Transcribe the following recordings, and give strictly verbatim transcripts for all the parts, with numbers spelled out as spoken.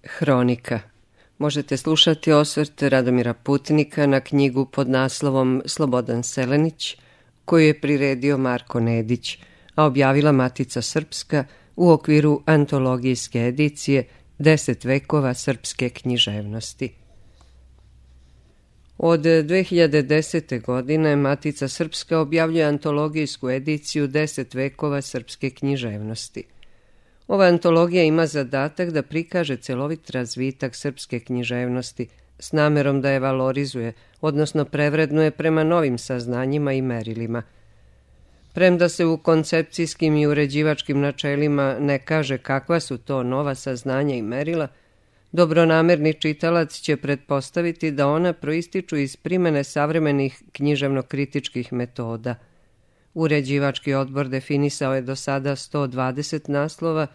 Hronika. Možete slušati osvrt Radomira Putnika na knjigu pod naslovom Slobodan Selenić, koju je priredio Marko Nedić, a objavila Matica Srpska u okviru antologijske edicije Deset vekova srpske književnosti. Od dve hiljade desete. godine Matica Srpska objavljuje antologijsku ediciju Deset vekova srpske književnosti. Ova antologija ima zadatak da prikaže celovit razvitak srpske književnosti s namerom da je valorizuje, odnosno prevrednuje prema novim saznanjima i merilima. Premda se u koncepcijskim i uređivačkim načelima ne kaže kakva su to nova saznanja i merila, dobronamerni čitalac će pretpostaviti da ona proističu iz primene savremenih književno-kritičkih metoda. Uređivački odbor definisao je do sada sto dvadeset naslova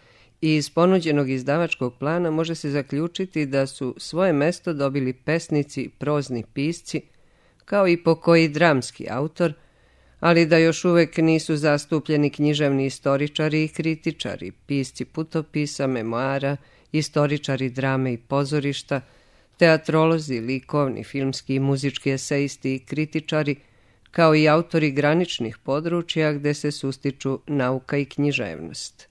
i iz ponuđenog izdavačkog plana može se zaključiti da su svoje mesto dobili pesnici, prozni pisci, kao i pokoji dramski autor, ali da još uvek nisu zastupljeni književni istoričari i kritičari, pisci putopisa, memoara, istoričari drame i pozorišta, teatrolozi, likovni, filmski i muzički esejisti i kritičari, kao i autori graničnih područja gde se sustiču nauka i književnost.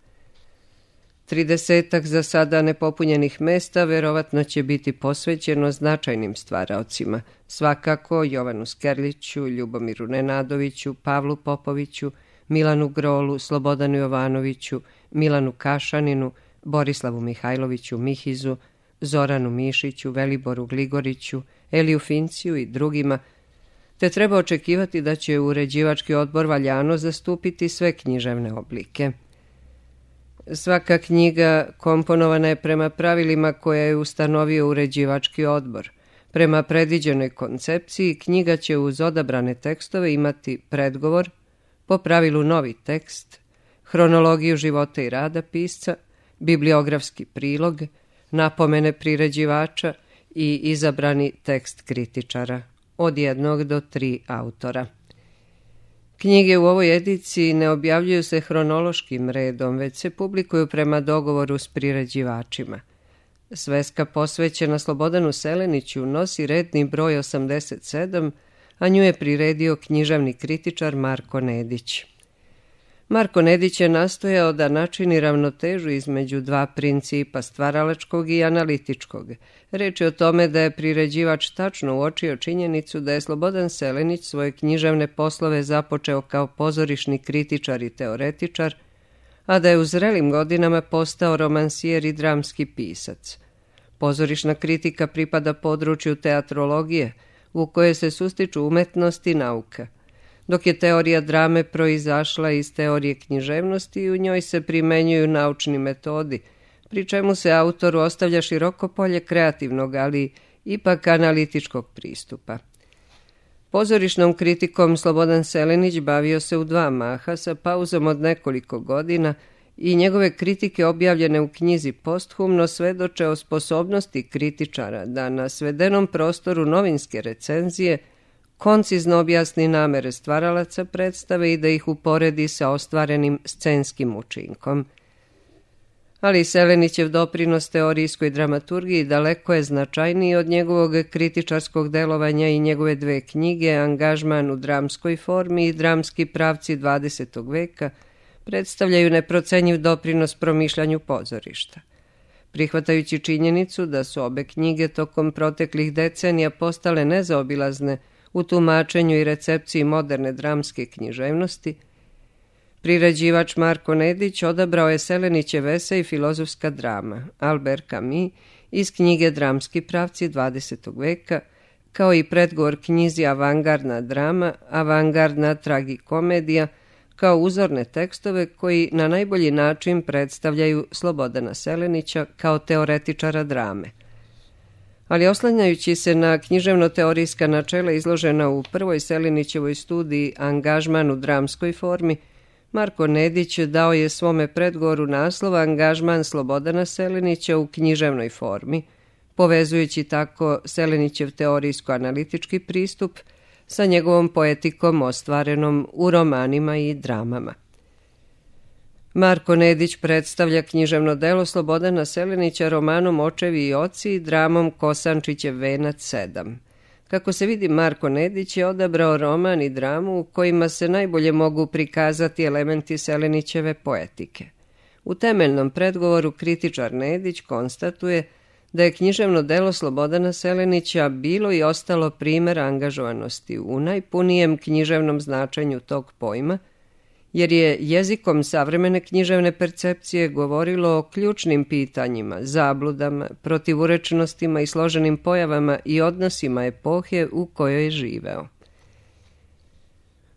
Tridesetak za sada nepopunjenih mesta verovatno će biti posvećeno značajnim stvaraocima, svakako Jovanu Skerliću, Ljubomiru Nenadoviću, Pavlu Popoviću, Milanu Grolu, Slobodanu Jovanoviću, Milanu Kašaninu, Borislavu Mihajloviću Mihizu, Zoranu Mišiću, Veliboru Gligoriću, Eliju Finciju i drugima, te treba očekivati da će uređivački odbor valjano zastupiti sve književne oblike. Svaka knjiga komponovana je prema pravilima koje je ustanovio uređivački odbor. Prema predviđenoj koncepciji, knjiga će uz odabrane tekstove imati predgovor, po pravilu novi tekst, hronologiju života i rada pisca, bibliografski prilog, napomene priređivača i izabrani tekst kritičara, od jednog do tri autora. Knjige u ovoj ediciji ne objavljuju se hronološkim redom, već se publikuju prema dogovoru s priređivačima. Sveska posvećena Slobodanu Seleniću nosi redni broj osamdeset sedam, a nju je priredio književni kritičar Marko Nedić. Marko Nedić je nastojao da načini ravnotežu između dva principa, stvaralačkog i analitičkog. Reč je o tome da je priređivač tačno uočio činjenicu da je Slobodan Selenić svoje književne poslove započeo kao pozorišni kritičar i teoretičar, a da je u zrelim godinama postao romansijer i dramski pisac. Pozorišna kritika pripada području teatrologije, u kojoj se sustiču umetnost i nauka, dok je teorija drame proizašla iz teorije književnosti i u njoj se primenjuju naučni metodi, pri čemu se autoru ostavlja široko polje kreativnog, ali ipak analitičkog pristupa. Pozorišnom kritikom Slobodan Selenić bavio se u dva maha sa pauzom od nekoliko godina i njegove kritike objavljene u knjizi posthumno svedoče o sposobnosti kritičara da na svedenom prostoru novinske recenzije koncizno objasni namere stvaralaca predstave i da ih uporedi sa ostvarenim scenskim učinkom. Ali Selenićev doprinos teorijskoj dramaturgiji daleko je značajniji od njegovog kritičarskog delovanja i njegove dve knjige Angažman u dramskoj formi i Dramski pravci dvadesetog veka predstavljaju neprocenjiv doprinos promišljanju pozorišta. Prihvatajući činjenicu da su obe knjige tokom proteklih decenija postale nezaobilazne u tumačenju i recepciji moderne dramske književnosti, priređivač Marko Nedić odabrao je Selenićev esej Filozofska drama, Albert Camus, iz knjige Dramski pravci dvadesetog veka, kao i predgovor knjizi Avangardna drama, Avangardna tragikomedija, kao uzorne tekstove koji na najbolji način predstavljaju Slobodana Selenića kao teoretičara drame. Ali oslanjajući se na književno-teorijska načela izložena u prvoj Selenićevoj studiji Angažman u dramskoj formi, Marko Nedić dao je svome predgovoru naslov Angažman Slobodana Selenića u književnoj formi, povezujući tako Selenićev teorijsko-analitički pristup sa njegovom poetikom ostvarenom u romanima i dramama. Marko Nedić predstavlja književno delo Slobodana Selenića romanom Očevi i oci i dramom Kosančićev venac sedam. Kako se vidi, Marko Nedić je odabrao roman i dramu u kojima se najbolje mogu prikazati elementi Selenićeve poetike. U temeljnom predgovoru kritičar Nedić konstatuje da je književno delo Slobodana Selenića bilo i ostalo primer angažovanosti u najpunijem književnom značenju tog pojma, jer je jezikom savremene književne percepcije govorilo o ključnim pitanjima, zabludama, protivurečnostima i složenim pojavama i odnosima epohe u kojoj je živeo.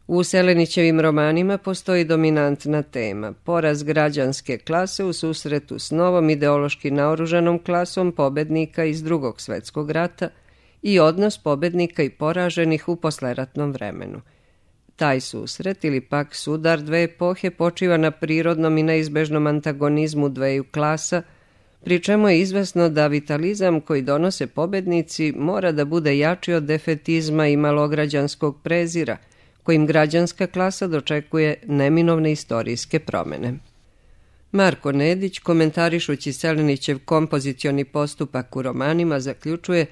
U Selenićevim romanima postoji dominantna tema, poraz građanske klase u susretu s novom ideološki naoružanom klasom pobednika iz Drugog svjetskog rata i odnos pobednika i poraženih u posleratnom vremenu. Taj susret ili pak sudar dve epohe počiva na prirodnom i neizbežnom antagonizmu dveju klasa, pri čemu je izvesno da vitalizam koji donose pobednici mora da bude jači od defetizma i malograđanskog prezira, kojim građanska klasa dočekuje neminovne istorijske promene. Marko Nedić, komentarišući Selenićev kompozicioni postupak u romanima, zaključuje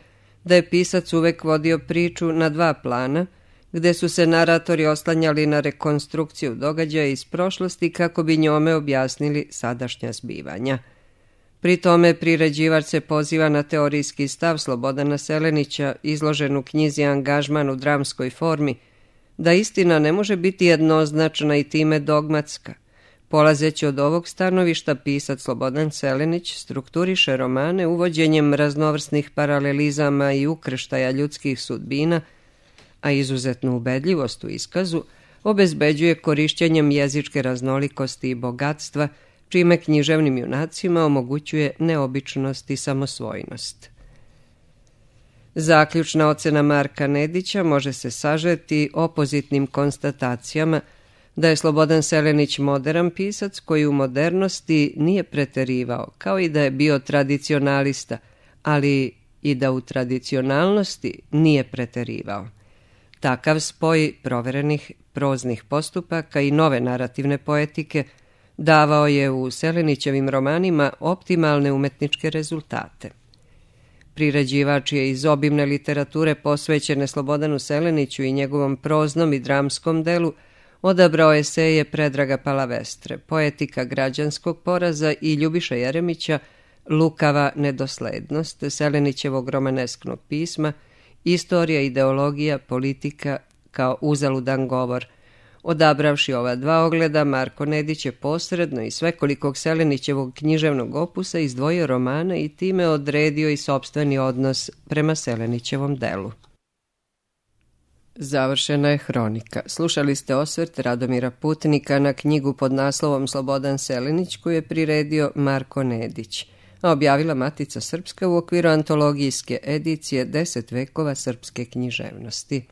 da je pisac uvek vodio priču na dva plana, gde su se naratori oslanjali na rekonstrukciju događaja iz prošlosti kako bi njome objasnili sadašnja zbivanja. Pri tome priređivač se poziva na teorijski stav Slobodana Selenića, izložen u knjizi Angažman u dramskoj formi, da istina ne može biti jednoznačna i time dogmatska. Polazeći od ovog stanovišta, pisac Slobodan Selenić strukturiše romane uvođenjem raznovrsnih paralelizama i ukrštaja ljudskih sudbina, a izuzetnu ubedljivost u iskazu obezbeđuje korišćenjem jezičke raznolikosti i bogatstva, čime književnim junacima omogućuje neobičnost i samosvojnost. Zaključna ocena Marka Nedića može se sažeti opozitnim konstatacijama da je Slobodan Selenić moderan pisac koji u modernosti nije preterivao, kao i da je bio tradicionalista, ali i da u tradicionalnosti nije preterivao. Takav spoj proverenih proznih postupaka i nove narativne poetike davao je u Selenićevim romanima optimalne umetničke rezultate. Priređivač je iz obimne literature posvećene Slobodanu Seleniću i njegovom proznom i dramskom delu odabrao eseje Predraga Palavestre, Poetika građanskog poraza i Ljubiša Jeremića, Lukava nedoslednost, Selenićevog romanesknog pisma, Istorija, ideologija, politika kao uzaludan govor. Odabravši ova dva ogleda, Marko Nedić je posredno i svekolikog Selenićevog književnog opusa izdvojio romane i time odredio i sopstveni odnos prema Selenićevom delu. Završena je hronika. Slušali ste osvrt Radomira Putnika na knjigu pod naslovom Slobodan Selenić koju je priredio Marko Nedić, a objavila Matica Srpska u okviru antologijske edicije Deset vekova srpske književnosti.